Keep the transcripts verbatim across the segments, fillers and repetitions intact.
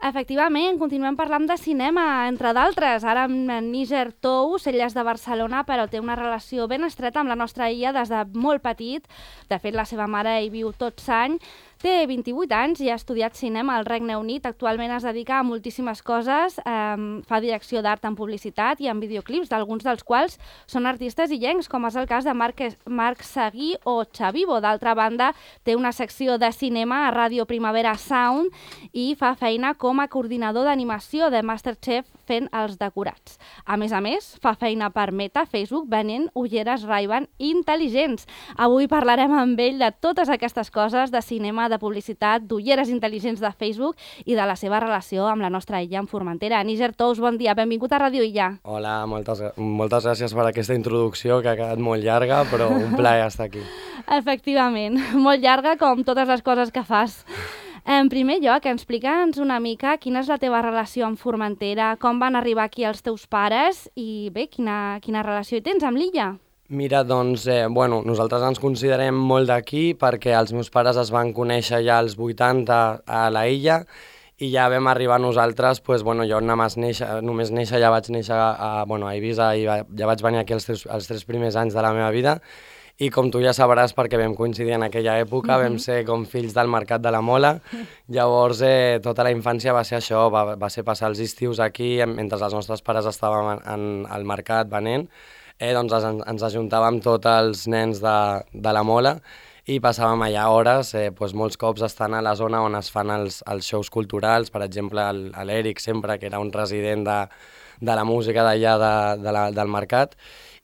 Efectivament, continuem parlant de cinema, entre d'altres. Ara amb Níger Tous, ell és de Barcelona, però té una relació ben estreta amb la nostra illa des de molt petit. De fet, la seva mare hi viu tots anys. Té vint-i-vuit anys i ha estudiat cinema al Regne Unit. Actualment es dedica a moltíssimes coses. Eh, fa direcció d'art en publicitat i en videoclips, d'alguns dels quals són artistes illencs, com és el cas de Marc, Marc Seguí o Xavivo. D'altra banda, té una secció de cinema a Ràdio Primavera Sound i fa feina com a coordinador d'animació de MasterChef fent els decorats. A més a més, fa feina per Meta, Facebook, venent ulleres Ray-Ban intel·ligents. Avui parlarem amb ell de totes aquestes coses, de cinema, de publicitat, d'ulleres intel·ligents de Facebook i de la seva relació amb la nostra illa en Formentera. Níger Tous, bon dia, benvingut a Ràdio Illa. Hola, moltes, moltes gràcies per aquesta introducció que ha quedat molt llarga, però un plaer estar aquí. Efectivament, molt llarga com totes les coses que fas. En primer lloc, explica'ns una mica quina és la teva relació amb Formentera, com van arribar aquí els teus pares i bé, quina, quina relació hi tens amb l'illa? Mira, doncs, eh, bueno, nosaltres ens considerem molt d'aquí perquè els meus pares es van conèixer ja als vuitanta a la illa i ja vam arribar nosaltres, doncs, bueno, jo només néixer, només néixer ja vaig néixer a, bueno, a Eivissa i va, ja vaig venir aquí els tres, els tres primers anys de la meva vida. I com tu ja sabràs, perquè vam coincidir en aquella època, mm-hmm. vam ser com fills del mercat de la Mola. Llavors, eh, tota la infància va ser això, va, va ser passar els estius aquí, mentre els nostres pares estàvem en, en, al mercat venent, eh, doncs ens, ens ajuntàvem tots els nens de, de la Mola i passàvem allà hores, eh, doncs molts cops estant a la zona on es fan els, els shows culturals, per exemple, l'Eric sempre, que era un resident de, de la música d'allà de, de la, del mercat.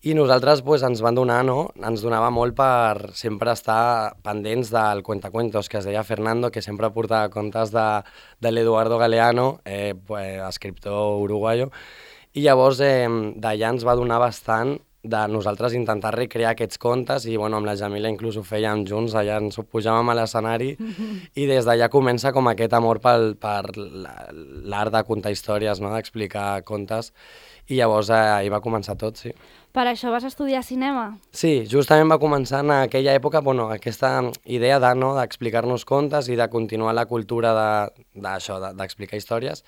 I nosaltres pues, ens van donar, no? Ens donava molt per sempre estar pendents del cuentacuentos, que es deia Fernando, que sempre portava contes de, de l'Eduardo Galeano, eh, pues, escriptor uruguayo, i llavors eh, d'allà ens va donar bastant de nosaltres intentar recrear aquests contes i bueno, amb la Jamila inclús ho fèiem junts, allà ens pujàvem a l'escenari mm-hmm. i des d'allà comença com aquest amor pel, per l'art de contar històries, no? D'explicar contes i llavors eh, ahir va començar tot, sí. Per això vas estudiar cinema? Sí, justament va començar en aquella època bueno, aquesta idea de, no, d'explicar-nos contes i de continuar la cultura d'això, de, d'explicar històries.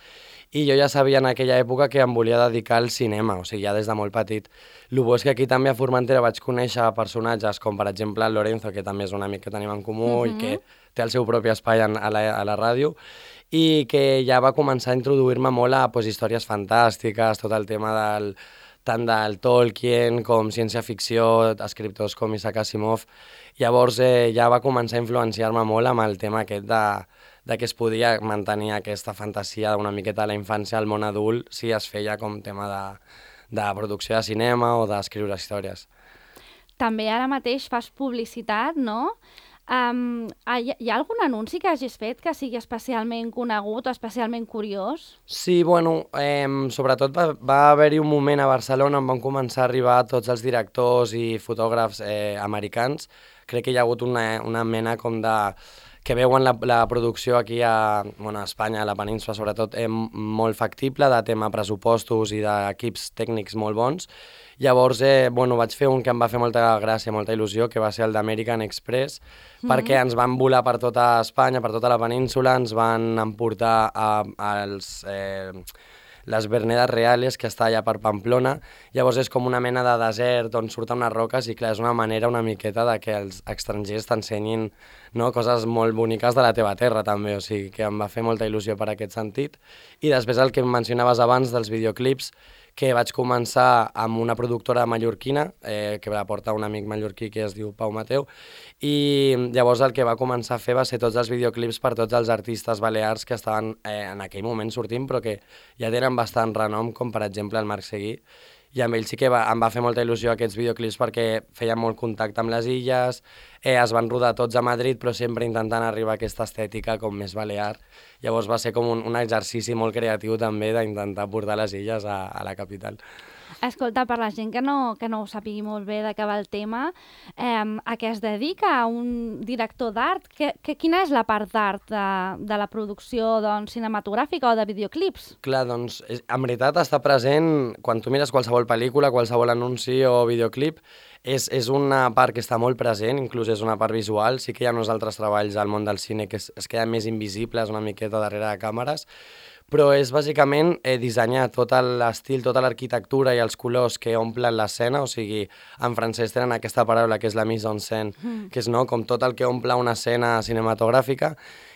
I jo ja sabia en aquella època que em volia dedicar al cinema, o sigui, ja des de molt petit. El bo és que aquí també a Formentera vaig conèixer personatges com, per exemple, el Lorenzo, que també és un amic que tenim en comú mm-hmm. i que té el seu propi espai en, a, la, a la ràdio, i que ja va començar a introduir-me molt a pues, històries fantàstiques, tot el tema del tant del Tolkien com ciència-ficció, escriptors com Isaac Asimov. Llavors eh, ja va començar a influenciar-me molt amb el tema aquest de, de que es podia mantenir aquesta fantasia d'una miqueta de la infància al món adult si es feia com tema de, de producció de cinema o d'escriure històries. També ara mateix fas publicitat, no? Um, hi, ha, hi ha algun anunci que hagis fet que sigui especialment conegut o especialment curiós? Sí, bueno, eh, sobretot va, va haver-hi un moment a Barcelona on van començar a arribar tots els directors i fotògrafs eh, americans. Crec que hi ha hagut una, una mena com de que veuen la, la producció aquí a, bueno, a Espanya, a la península sobretot, eh, molt factible, de tema pressupostos i d'equips tècnics molt bons. Llavors, eh, bueno, vaig fer un que em va fer molta gràcia, molta il·lusió, que va ser el d'American Express, mm-hmm. perquè ens van volar per tota Espanya, per tota la península, ens van emportar a, als... Eh, les Vernedes Reales, que està allà per Pamplona. Llavors és com una mena de desert on surten unes roques i clar, és una manera una miqueta de que els estrangers t'ensenyin, no, coses molt boniques de la teva terra també, o sigui que em va fer molta il·lusió per aquest sentit. I després el que mencionaves abans dels videoclips, que vaig començar amb una productora mallorquina, eh, que la porta un amic mallorquí que es diu Pau Mateu, i llavors el que va començar a fer va ser tots els videoclips per tots els artistes balears que estaven eh, en aquell moment sortint, però que ja tenen bastant renom, com per exemple el Marc Seguí, i amb ell sí que va, em va fer molta il·lusió aquests videoclips perquè feien molt contacte amb les illes, eh, es van rodar tots a Madrid, però sempre intentant arribar a aquesta estètica com més balear. Llavors va ser com un, un exercici molt creatiu també d'intentar portar les illes a, a la capital. Escolta, per la gent que no, que no ho sàpigui molt bé de què va el tema, eh, a què es dedica un director d'art? Que, que, quina és la part d'art de, de la producció doncs, cinematogràfica o de videoclips? Clar, doncs, és, en veritat està present, quan tu mires qualsevol pel·lícula, qualsevol anunci o videoclip, és, és una part que està molt present, inclús és una part visual. Sí que hi ha uns altres treballs al món del cine que es, es queden més invisibles una miqueta darrere de càmeres, però és bàsicament eh, dissenyar tot l'estil, tota l'arquitectura i els colors que omplen l'escena, o sigui, en francès tenen aquesta paraula que és la mise en scène, mm. que és no, com tot el que omple una escena cinematogràfica.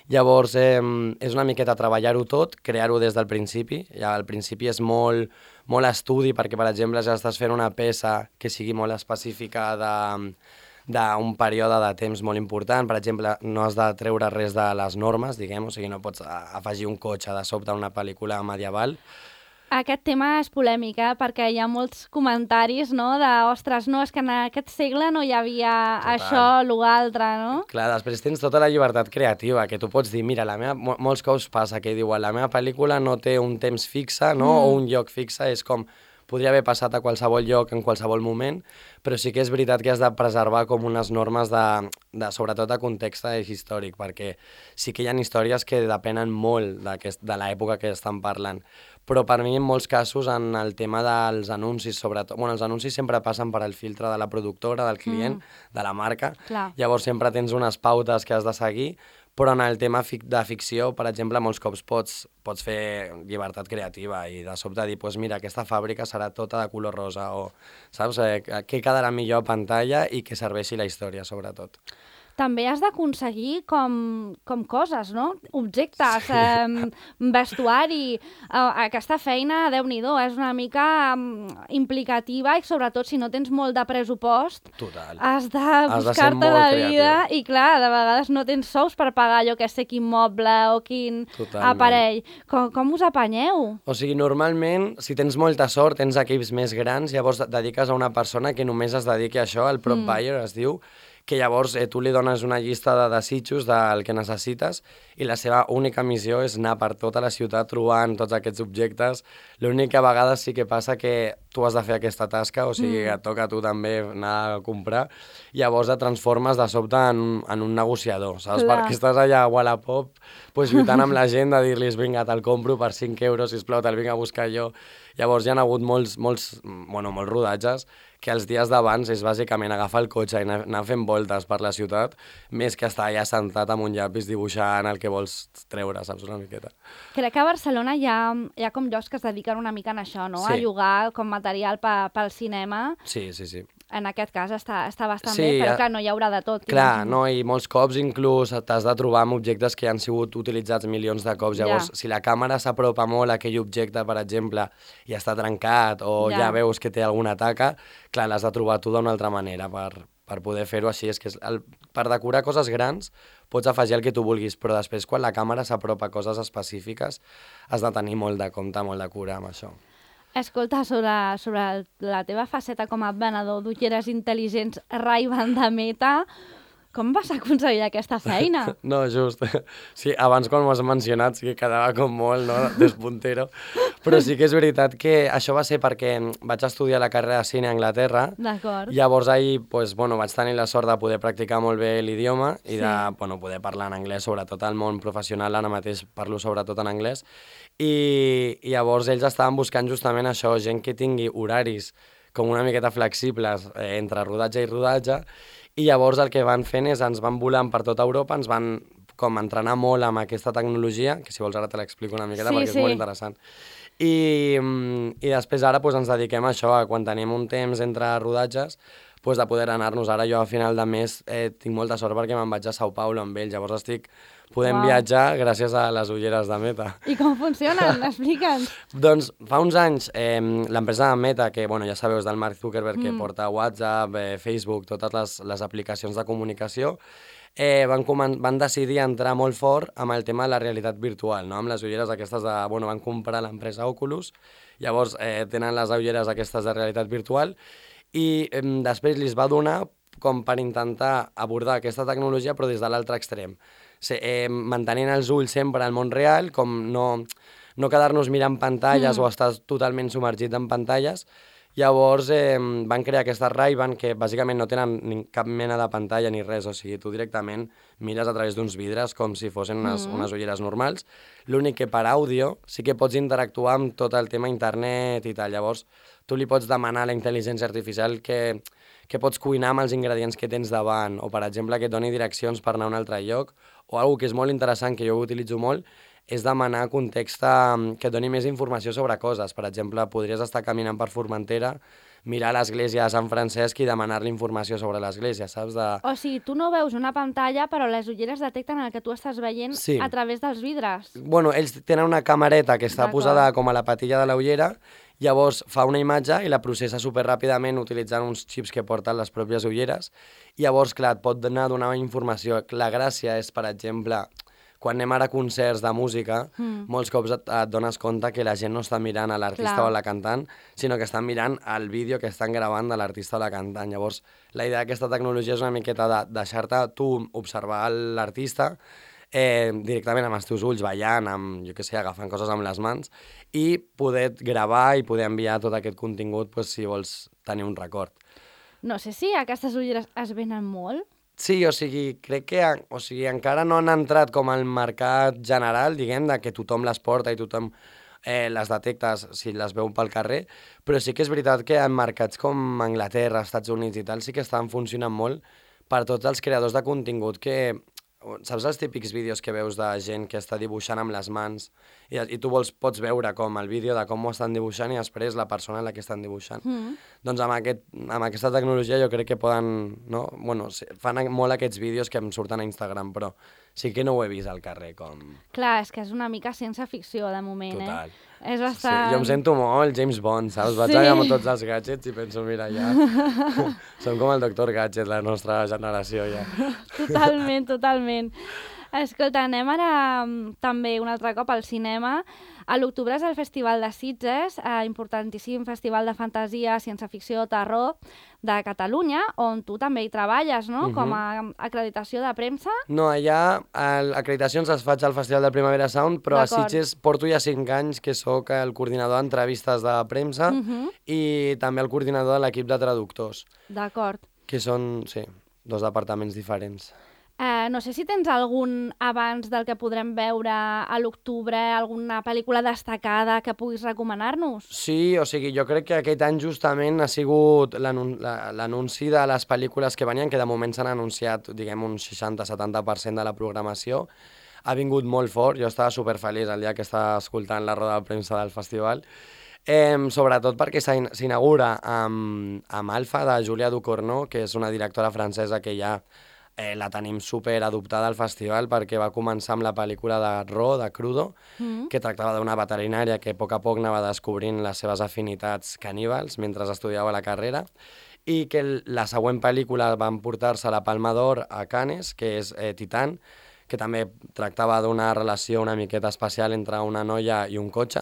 Llavors, eh, és una miqueta treballar-ho tot, crear-ho des del principi. Ja al principi és molt, molt estudi, perquè, per exemple, ja estàs fent una peça que sigui molt específica de d'un període de temps molt important. Per exemple, no has de treure res de les normes, diguem, o sigui, no pots afegir un cotxe de sobte a una pel·lícula medieval. Aquest tema és polèmic, eh? Perquè hi ha molts comentaris, no?, de, ostres, no, és que en aquest segle no hi havia Total. Això, lo altre, no? Clar, després tens tota la llibertat creativa, que tu pots dir, mira, la meva, molts cops passa que diuen, la meva pel·lícula no té un temps fixe, no?, mm. o un lloc fixe, és com podria haver passat a qualsevol lloc, en qualsevol moment, però sí que és veritat que has de preservar com unes normes de, de sobretot de context històric, perquè sí que hi ha històries que depenen molt de l'època que estan parlant. Però per mi, en molts casos, en el tema dels anuncis, sobretot... Bueno, els anuncis sempre passen per al filtre de la productora, del client, mm. de la marca. Clar. Llavors sempre tens unes pautes que has de seguir, però en el tema fic de ficció, per exemple, molts cops pots, pots fer llibertat creativa i de sobte dir, pues mira, aquesta fàbrica serà tota de color rosa, o saps? Eh, què quedarà millor a pantalla i que serveixi la història, sobretot. També has d'aconseguir com, com coses, no? Objectes, eh, vestuari... Eh, aquesta feina, Déu-n'hi-do, és una mica um, implicativa i sobretot si no tens molt de pressupost, Total. Has de buscar-te la vida i clar, de vegades no tens sous per pagar allò que sé quin moble o quin Totalment. Aparell. Com, com us apanyeu? O sigui, normalment, si tens molta sort, tens equips més grans, llavors dediques a una persona que només es dediqui a això, el prop mm. buyer es diu, que llavors eh, tu li dones una llista de desitjos del que necessites i la seva única missió és anar per tota la ciutat trobant tots aquests objectes. L'únic que a vegades sí que passa que tu has de fer aquesta tasca, o sigui, mm. et toca a tu també anar a comprar, i llavors et transformes de sobte en, en un negociador, saps? Clar. Perquè estàs allà a Wallapop pues, lluitant amb la gent de dir-los vinga, te'l compro per cinc euros, sisplau, te'l vinc a buscar jo. Llavors hi ha hagut molts, molts, bueno, molts rodatges que els dies d'abans és bàsicament agafar el cotxe i anar, anar fent voltes per la ciutat, més que estar allà sentat amb un llapis dibuixant el que vols treure, saps, una miqueta. Crec que a Barcelona hi ha, hi ha com llocs que es dediquen una mica a això, no? Sí. A llogar com material pe, pel cinema. Sí, sí, sí. En aquest cas està, està bastant sí, bé, però clar, no hi haurà de tot. Clar, no, i molts cops inclús t'has de trobar amb objectes que han sigut utilitzats milions de cops. Llavors, ja. Si la càmera s'apropa molt a aquell objecte, per exemple, i està trencat o ja, ja veus que té alguna taca, clar, l'has de trobar tu d'una altra manera per, per poder fer-ho així. És que el, per decorar coses grans pots afegir el que tu vulguis, però després quan la càmera s'apropa a coses específiques has de tenir molt de compte, molt de cura amb això. Escolta, sobre, sobre la teva faceta com a venedor d'ulleres intel·ligents Ray-Ban de Meta, com vas aconseguir aquesta feina? No, just. Sí, abans quan m'ho has mencionat sí que quedava com molt, no?, despuntero. Però sí que és veritat que això va ser perquè vaig estudiar la carrera de cine a Anglaterra. D'acord. Llavors ahir, pues, bueno, vaig tenir la sort de poder practicar molt bé l'idioma i de sí. bueno, poder parlar en anglès, sobretot al món professional, ara mateix parlo sobretot en anglès. I, i llavors ells estaven buscant justament això, gent que tingui horaris com una miqueta flexibles eh, entre rodatge i rodatge, i llavors el que van fent és ens van volant per tota Europa, ens van com entrenar molt amb aquesta tecnologia, que si vols ara te l'explico una miqueta sí, perquè sí. és molt interessant. I, i després ara pues, ens dediquem a això, a quan tenim un temps entre rodatges, pues, de poder anar-nos. Ara jo a final de mes eh, tinc molta sort perquè me'n vaig a São Paulo amb ells, llavors estic podem wow. viatjar gràcies a les ulleres de Meta. I com funcionen? Explica'ns. Doncs fa uns anys eh, l'empresa de Meta, que bueno, ja sabeu, és del Mark Zuckerberg, mm. que porta WhatsApp, eh, Facebook, totes les, les aplicacions de comunicació, eh, van, van decidir entrar molt fort amb el tema de la realitat virtual, no? Amb les ulleres aquestes de... Bueno, van comprar l'empresa Oculus, llavors eh, tenen les ulleres aquestes de realitat virtual, i eh, després li va donar com per intentar abordar aquesta tecnologia però des de l'altre extrem. Sí, eh, mantenint els ulls sempre al món real, com no, no quedar-nos mirant pantalles mm. o estar totalment submergit en pantalles. Llavors eh, van crear aquestes Ray-Ban que bàsicament no tenen ni cap mena de pantalla ni res, o sigui, tu directament mires a través d'uns vidres com si fossin unes, mm. unes ulleres normals. L'únic que per àudio sí que pots interactuar amb tot el tema internet i tal. Llavors tu li pots demanar a la intel·ligència artificial que, que pots cuinar amb els ingredients que tens davant, o per exemple que et doni direccions per anar a un altre lloc, o alguna que és molt interessant, que jo ho utilitzo molt, és demanar context eh, que et doni més informació sobre coses. Per exemple, podries estar caminant per Formentera, mirar l'església de Sant Francesc i demanar-li informació sobre l'església, saps? De... O sigui, tu no veus una pantalla, però les ulleres detecten el que tu estàs veient Sí. a través dels vidres. Bueno, ells tenen una camareta que està D'acord. posada com a la patilla de la ullera, llavors fa una imatge i la processa superràpidament utilitzant uns xips que porten les pròpies ulleres. I llavors, clar, et pot donar, donar informació. La gràcia és, per exemple, quan anem ara a concerts de música, mm. molts cops et, et dones compte que la gent no està mirant a l'artista Clar. o a la cantant, sinó que estan mirant el vídeo que estan gravant de l'artista o la cantant. Llavors, la idea d'aquesta tecnologia és una miqueta de deixar-te tu observar l'artista eh, directament amb els teus ulls, ballant, amb, jo què sé, agafant coses amb les mans, i poder gravar i poder enviar tot aquest contingut pues, si vols tenir un record. No sé si aquestes ulleres es venen molt. Sí, o sigui, crec que o sigui, encara no han entrat com al mercat general, diguem, de que tothom les porta i tothom eh, les detectes si les veu pel carrer, però sí que és veritat que en mercats com Anglaterra, Estats Units i tal, sí que estan funcionant molt per tots els creadors de contingut que... Saps els típics vídeos que veus de gent que està dibuixant amb les mans i, i tu vols, pots veure com el vídeo de com ho estan dibuixant i després la persona en la que estan dibuixant. Mm. Doncs amb, aquest, amb aquesta tecnologia jo crec que poden... No? Bueno, fan molt aquests vídeos que em surten a Instagram, però sí que no ho he vist al carrer com... Clar, és que és una mica ciència-ficció de moment, Total. eh? És bastant... Sí, jo em sento molt James Bond, saps? Vaig Sí. allà amb tots els gadgets i penso, mira, ja... Som com el doctor Gadget, la nostra generació, ja. Totalment, totalment. Escolta, anem ara mm, també un altre cop al cinema. A l'octubre és el Festival de Sitges, eh, importantíssim festival de fantasia, ciència-ficció, terror de Catalunya, on tu també hi treballes, no? Mhm. Com a acreditació de premsa. No, allà el- acreditacions les faig al Festival de Primavera Sound, però a D'acord. Sitges porto ja cinc anys que sóc el coordinador d'entrevistes de premsa Mhm. i també el coordinador de l'equip de traductors, D'acord. que són, sí, dos departaments diferents. Eh, no sé si tens algun abans del que podrem veure a l'octubre, alguna pel·lícula destacada que puguis recomanar-nos? Sí, o sigui, jo crec que aquest any justament ha sigut l'anun- la- l'anunci de les pel·lícules que venien, que de moment s'han anunciat, diguem, un seixanta setanta per cent de la programació. Ha vingut molt fort, jo estava superfeliç el dia que estava escoltant la roda de premsa del festival, eh, sobretot perquè s'in- s'inaugura amb, amb Alfa, de Julia Ducournau, que és una directora francesa que ja eh, la tenim super adoptada al festival perquè va començar amb la pel·lícula de Raw, de Crudo, Mm. que tractava d'una veterinària que a poc a poc anava descobrint les seves afinitats caníbals mentre estudiava la carrera, i que el- la següent pel·lícula van portar-se la Palma d'Or a Cannes, que és eh, Titan, que també tractava d'una relació una miqueta especial entre una noia i un cotxe.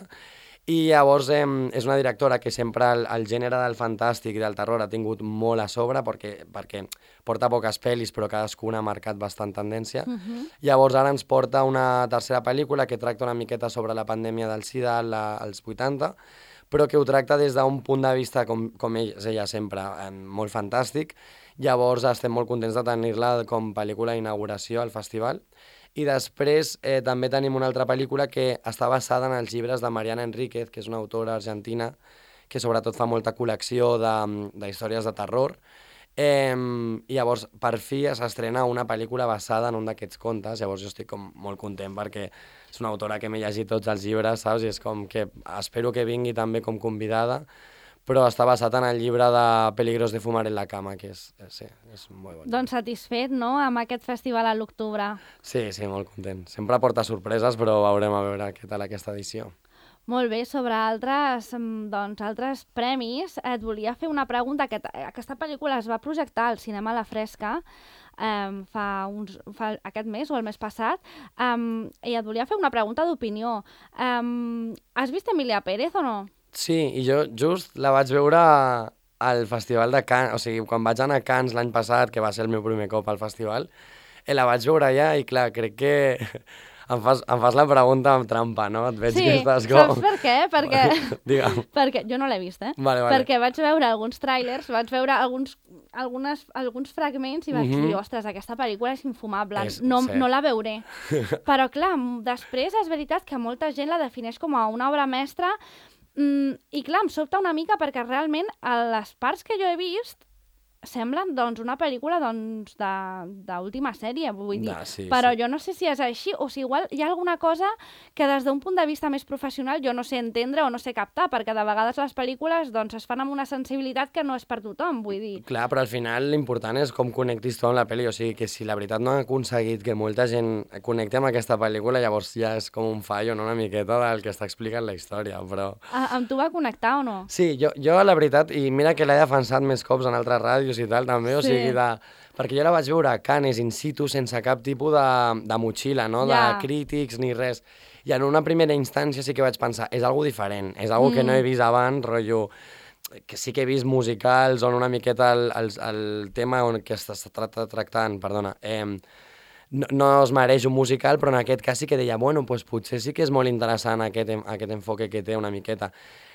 I llavors eh, és una directora que sempre el, el gènere del fantàstic i del terror ha tingut molt a sobre perquè, perquè porta poques pel·lis però cadascuna ha marcat bastant tendència. Mhm. Llavors ara ens porta una tercera pel·lícula que tracta una miqueta sobre la pandèmia del SIDA la, als vuitanta, però que ho tracta des d'un punt de vista, com, com ell, és ella sempre, eh, molt fantàstic. Llavors estem molt contents de tenir-la com pel·lícula d'inauguració al festival. I després eh, també tenim una altra pel·lícula que està basada en els llibres de Mariana Enríquez, que és una autora argentina que sobretot fa molta col·lecció de, de històries de terror. Eh, I llavors, per fi, s'estrena una pel·lícula basada en un d'aquests contes. Llavors jo estic com molt content perquè és una autora que m'he llegit tots els llibres, saps? I és com que espero que vingui també com convidada, però està basat en el llibre de Peligros de fumar en la cama, que és, eh, sí, és molt bon. Doncs satisfet, no?, amb aquest festival a l'octubre. Sí, sí, molt content. Sempre porta sorpreses, però veurem a veure què tal aquesta edició. Molt bé, sobre altres, mm, doncs, altres premis, et volia fer una pregunta. Aquest, aquesta pel·lícula es va projectar al cinema a la Fresca um, fa, uns, fa aquest mes o el mes passat, um, i et volia fer una pregunta d'opinió. Um, has vist Emilia Pérez o no? Sí, i jo just la vaig veure al Festival de Cannes, o sigui, quan vaig anar a Cannes l'any passat, que va ser el meu primer cop al festival, eh, la vaig veure allà i clar, crec que em fas, em fas la pregunta amb trampa, no? Et veig Sí, que estàs com... saps per què? Perquè, Digue'm. perquè jo no l'he vist, eh? Vale, vale. Perquè vaig veure alguns tràilers, vaig veure alguns, algunes, alguns fragments i vaig Mhm. dir, ostres, aquesta pel·lícula és infumable, És- no, sí. no la veuré. Però clar, m- després és veritat que molta gent la defineix com a una obra mestra, mm, i clar, em sobta una mica perquè realment a les parts que jo he vist semblen doncs, una pel·lícula doncs, d'última sèrie, vull dir. Da, sí, però sí. jo no sé si és així, o si igual hi ha alguna cosa que des d'un punt de vista més professional jo no sé entendre o no sé captar, perquè de vegades les pel·lícules doncs, es fan amb una sensibilitat que no és per tothom, vull dir. Clar, però al final l'important és com connectis tu amb la pel·li, o sigui que si la veritat no ha aconseguit que molta gent connecti amb aquesta pel·lícula, llavors ja és com un fallo, no?, una miqueta del que està explicant la història, però... A, amb tu va connectar o no? Sí, jo, jo la veritat, i mira que l'he defensat més cops en altres ràdios i tal també, o Sí. sigui, de... perquè jo la vaig veure a Cannes in situ sense cap tipus de, de motxilla, no?, de Ja. crítics ni res. I en una primera instància sí que vaig pensar, és algo diferent, és algo que no he vist abans, rotllo, que sí que he vist musicals on una miqueta el, el, el tema on que s'està tra tractant, perdona, eh, no, no es mereix un musical, però en aquest cas sí que deia, bueno, pues potser sí que és molt interessant aquest, aquest enfoque que té una miqueta.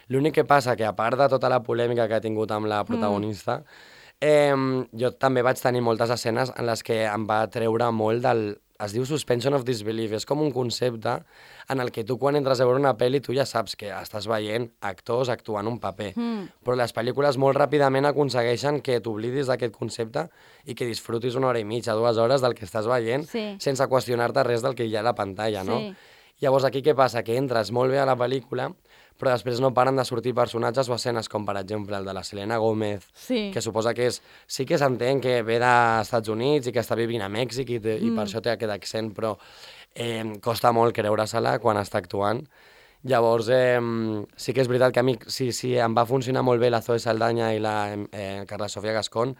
L'únic que passa que, a part de tota la polèmica que ha tingut amb la protagonista, mm. eh, jo també vaig tenir moltes escenes en les que em va treure molt del... Es diu suspension of disbelief, és com un concepte en el que tu quan entres a veure una pel·li tu ja saps que estàs veient actors actuant un paper, mm. però les pel·lícules molt ràpidament aconsegueixen que t'oblidis d'aquest concepte i que disfrutis una hora i mitja, dues hores del que estàs veient, sí. sense qüestionar-te res del que hi ha a la pantalla, no? Sí. Llavors aquí què passa? Que entres molt bé a la pel·lícula, però després no paren de sortir personatges o escenes com, per exemple, el de la Selena Gómez, sí. que suposa que és... Sí que s'entén que ve dels Estats Units i que està vivint a Mèxic i, te, mm. i per això té aquest accent, però eh, costa molt creure-se-la quan està actuant. Llavors, eh, sí que és veritat que a mi sí, sí, em va funcionar molt bé la Zoe Saldaña i la eh, Carla Sofia Gascón.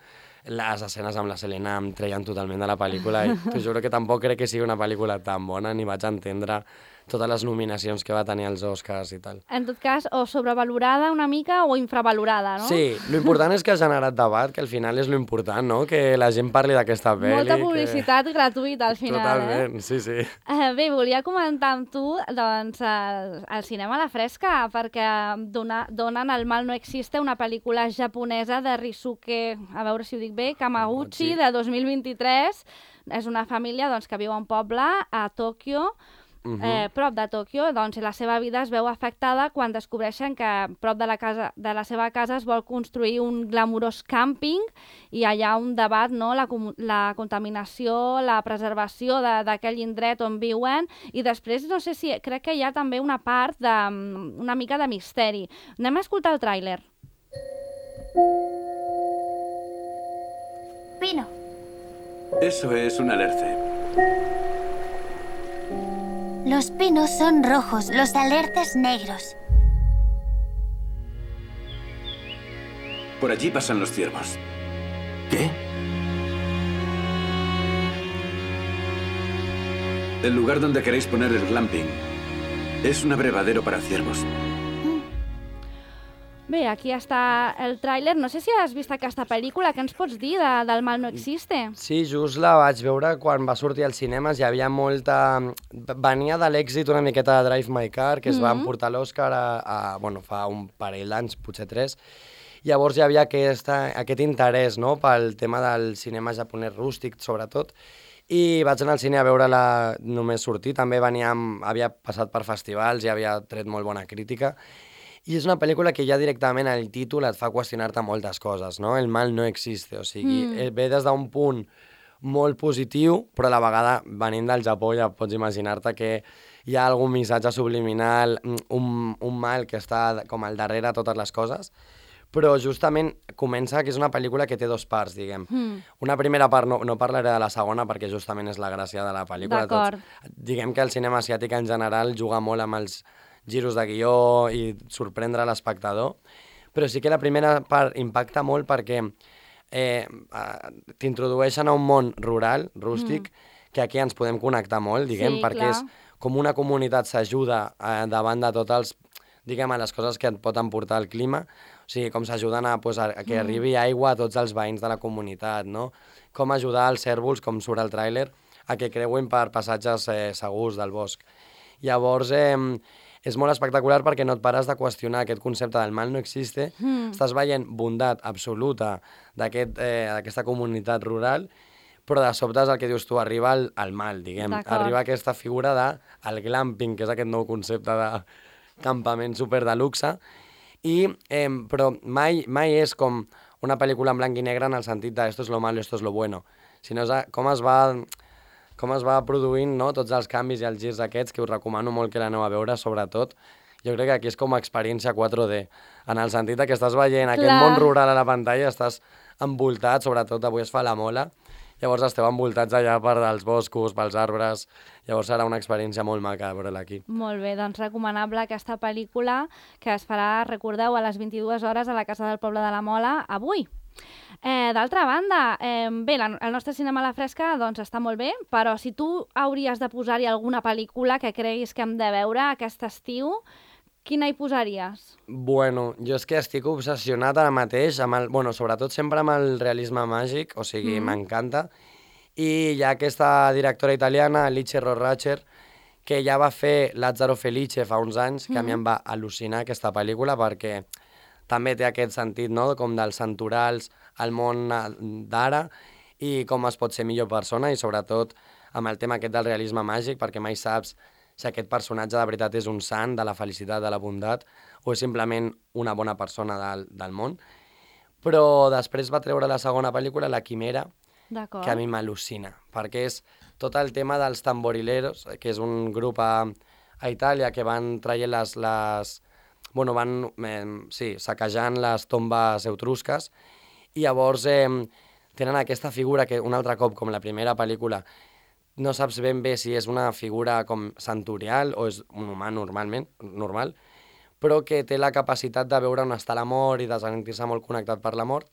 Les escenes amb la Selena em treien totalment de la pel·lícula i t'ho juro que tampoc crec que sigui una pel·lícula tan bona ni vaig entendre totes les nominacions que va tenir als Oscars i tal. En tot cas, o sobrevalorada una mica o infravalorada, no? Sí, l'important és que ha generat debat, que al final és l'important, no?, que la gent parli d'aquesta pel·li. Molta publicitat que... gratuïta al final, Totalment, eh? sí, sí. Eh, bé, volia comentar amb tu, doncs, el, el cinema a la fresca, perquè dona, donen El mal no existe, una pel·lícula japonesa de Risuke, a veure si ho dic bé, Kamaguchi, de dos mil vint-i-tres. És una família doncs, que viu a un poble a Tòquio, Uh -huh. eh, prop de Tòquio, doncs, i la seva vida es veu afectada quan descobreixen que prop de la, casa, de la seva casa es vol construir un glamurós càmping i hi ha un debat, no?, la, la contaminació, la preservació d'aquell indret on viuen, i després, no sé si, crec que hi ha també una part de, una mica de misteri. Anem a escoltar el tràiler. Pino. Eso es un alerce. Los pinos son rojos, los alerces negros. Por allí pasan los ciervos. ¿Qué? El lugar donde queréis poner el glamping es un abrevadero para ciervos. Bé, aquí està el tràiler. No sé si has vist aquesta pel·lícula. Què ens pots dir de, del mal no existe? Sí, just la vaig veure quan va sortir als cinemes. Hi havia molta... Venia de l'èxit una miqueta de Drive My Car, que es mm-hmm. va emportar l'Oscar a, a, bueno, fa un parell d'anys, potser tres. Llavors hi havia aquesta, aquest interès, no?, pel tema del cinema japonès rústic, sobretot. I vaig anar al cine a veure-la només sortir. També venia amb, havia passat per festivals i havia tret molt bona crítica. I és una pel·lícula que ja directament el títol et fa qüestionar-te moltes coses, no? El mal no existe, o sigui, mm. ve des d'un punt molt positiu, però a la vegada, venint del Japó, ja pots imaginar-te que hi ha algun missatge subliminal, un, un mal que està com al darrere de totes les coses, però justament comença que és una pel·lícula que té dos parts, diguem. Mm. Una primera part, no, no parlaré de la segona, perquè justament és la gràcia de la pel·lícula. D'acord. Diguem que el cinema asiàtic en general juga molt amb els giros de guió i sorprendre l'espectador, però sí que la primera part impacta molt perquè eh, t'introdueixen a un món rural, rústic, mm. que aquí ens podem connectar molt, diguem, sí, perquè clar. és com una comunitat s'ajuda eh, davant de tots els, diguem, a les coses que et pot emportar el clima, o sigui, com s'ajuden a, pues, a, a que arribi aigua a tots els veïns de la comunitat, no? Com ajudar els cérvols, com surt al tràiler, a que creuin per passatges eh, segurs del bosc. Llavors, eh, és molt espectacular perquè no et pares de qüestionar aquest concepte del mal no existe, mm. estàs veient bondat absoluta d'aquesta eh, aquesta comunitat rural, però de sobte és el que dius tu, arriba el, el mal, diguem. Arriba aquesta figura de el glamping, que és aquest nou concepte de campament super de luxe, i, eh, però mai, mai és com una pel·lícula en blanc i negre en el sentit de esto es lo malo, esto es lo bueno, sinó com es va, com es va produint, no? Tots els canvis i els girs aquests, que us recomano molt que l'aneu a veure, sobretot. Jo crec que aquí és com a experiència quatre D, en el sentit que estàs veient Clar. aquest món rural a la pantalla, estàs envoltat, sobretot avui es fa la Mola, llavors esteu envoltats allà per els boscos, pels arbres, llavors serà una experiència molt maca veure-la aquí. Molt bé, doncs recomanable aquesta pel·lícula que es farà, recordeu, a les vint-i-dues hores a la Casa del Poble de la Mola avui. Eh, D'altra banda, eh, bé, la, el nostre cinema a la fresca doncs, està molt bé, però si tu hauries de posar-hi alguna pel·lícula que creguis que hem de veure aquest estiu, quina hi posaries? Bueno, jo és que estic obsessionat ara mateix, amb el, bueno, sobretot sempre amb el realisme màgic, o sigui, mm. m'encanta. I hi ha aquesta directora italiana, Alice Rohrwacher, que ja va fer Lazzaro Felice fa uns anys, que mm. a mi em va al·lucinar aquesta pel·lícula, perquè també té aquest sentit, no?, com dels santorals al món d'ara i com es pot ser millor persona, i sobretot amb el tema aquest del realisme màgic, perquè mai saps si aquest personatge de veritat és un sant de la felicitat, de la bondat, o és simplement una bona persona del, del món. Però després va treure la segona pel·lícula, La Quimera, que a mi m'al·lucina, perquè és tot el tema dels tamborileros, que és un grup a, a Itàlia que van traient les... les bueno, van eh, sí, saquejant les tombes etrusques, i llavors eh, tenen aquesta figura que un altre cop, com la primera pel·lícula, no saps ben bé si és una figura com santorial o és un humà normalment, normal, però que té la capacitat de veure on està la mort i de sentir-se molt connectat per la mort.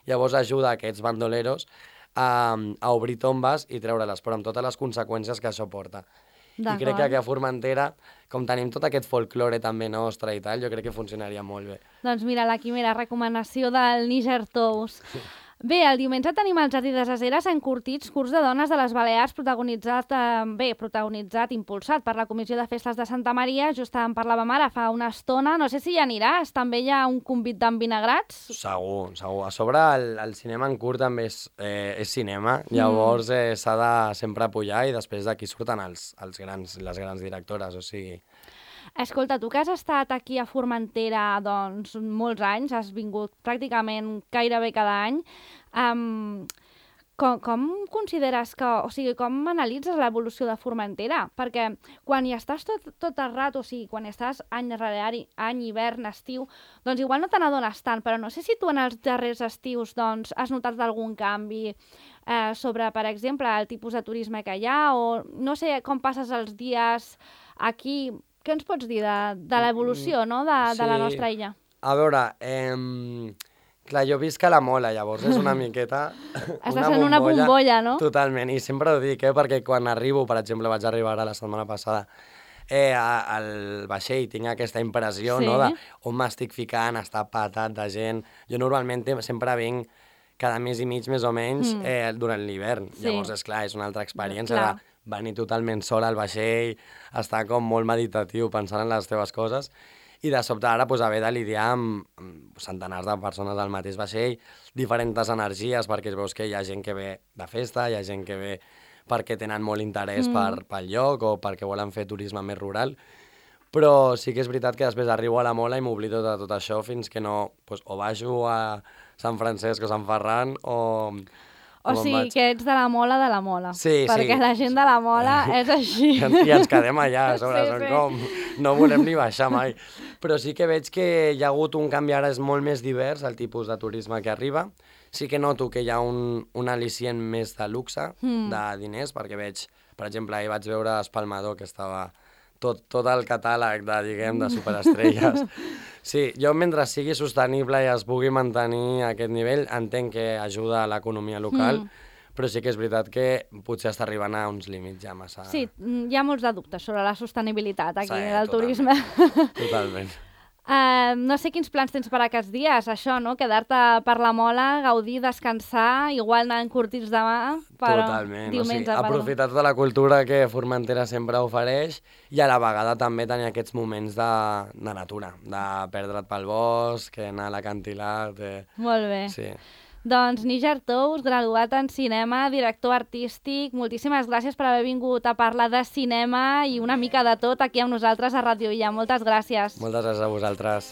Llavors ajuda aquests bandoleros a, a obrir tombes i treure-les, però amb totes les conseqüències que això porta. I crec que aquí a Formentera, com tenim tot aquest folklore també nostre i tal, jo crec que funcionaria molt bé. Doncs mira, La Quimera, recomanació del Níger Tous. Bé, el diumenge tenim el Jardí de les Heres encurtits, curs de dones de les Balears, protagonitzat, eh, bé, protagonitzat, impulsat per la Comissió de Festes de Santa Maria, just en parlàvem ara fa una estona, no sé si hi aniràs, també hi ha un convit d'envinagrats? Segur, segur. A sobre el, el cinema en curt també és, eh, és cinema, llavors eh, s'ha de sempre apoyar i després d'aquí surten els, els grans, les grans directores, o sigui... Escolta, tu que has estat aquí a Formentera doncs, molts anys, has vingut pràcticament gairebé cada any, um, com, com consideres que, o sigui, com analitzes l'evolució de Formentera? Perquè quan hi estàs tot, tot el rato, o sigui, quan hi estàs any rere any, any, hivern, estiu, doncs igual no te n'adones tant, però no sé si tu en els darrers estius doncs, has notat algun canvi eh, sobre, per exemple, el tipus de turisme que hi ha, o no sé com passes els dies aquí. Què ens pots dir de, de l'evolució, no?, de, sí. de la nostra illa? A veure, eh, clar, jo visc a la Mola, llavors és una miqueta... Estàs una en una bombolla, no? Totalment, i sempre ho dic, eh, perquè quan arribo, per exemple, vaig arribar ara la setmana passada, eh, al vaixell tinc aquesta impressió, sí. no?, de on m'estic ficant, està patat de gent. Jo normalment sempre vinc cada mes i mig, més o menys, mm. eh, durant l'hivern. Sí. Llavors, és clar, és una altra experiència clar. de venir totalment sol al vaixell, estar com molt meditatiu pensant en les teves coses, i de sobte ara pues, haver de lidiar amb, amb centenars de persones al mateix vaixell, diferents energies, perquè veus que hi ha gent que ve de festa, hi ha gent que ve perquè tenen molt interès mm. per, pel lloc o perquè volen fer turisme més rural, però sí que és veritat que després arribo a la Mola i m'oblido de tot això fins que no, pues, o baixo a Sant Francesc o Sant Ferran o... O sigui, que ets de la Mola de la Mola. Sí, perquè sí. la gent de la Mola és així. I, I ens quedem allà, a sobre, sí, són sí. com... No volem ni baixar mai. Però sí que veig que hi ha hagut un canvi, ara és molt més divers el tipus de turisme que arriba. Sí que noto que hi ha un, un al·licient més de luxe, mm. de diners, perquè veig, per exemple, ahir vaig veure Espalmador, que estava tot, tot el catàleg de, diguem, de superestrelles. Sí, jo mentre sigui sostenible i es pugui mantenir aquest nivell, entenc que ajuda a l'economia local, mm. però sí que és veritat que potser està arribant a uns límits ja massa... Sí, hi ha molts de dubtes sobre la sostenibilitat aquí sí, del totalment. turisme. Totalment. Uh, no sé quins plans tens per aquests dies, això, no? Quedar-te per la Mola, gaudir, descansar, igual anar encurtits demà, però totalment, diumenge... O sigui, aprofitar tota la cultura que Formentera sempre ofereix i a la vegada també tenir aquests moments de, de natura, de perdre't pel bosc, anar a l'acantilat... Eh... Molt bé. Sí. Doncs Níger Tous, graduat en cinema, director artístic, moltíssimes gràcies per haver vingut a parlar de cinema i una mica de tot aquí amb nosaltres a Ràdio Illa. Moltes gràcies. Moltes gràcies a vosaltres.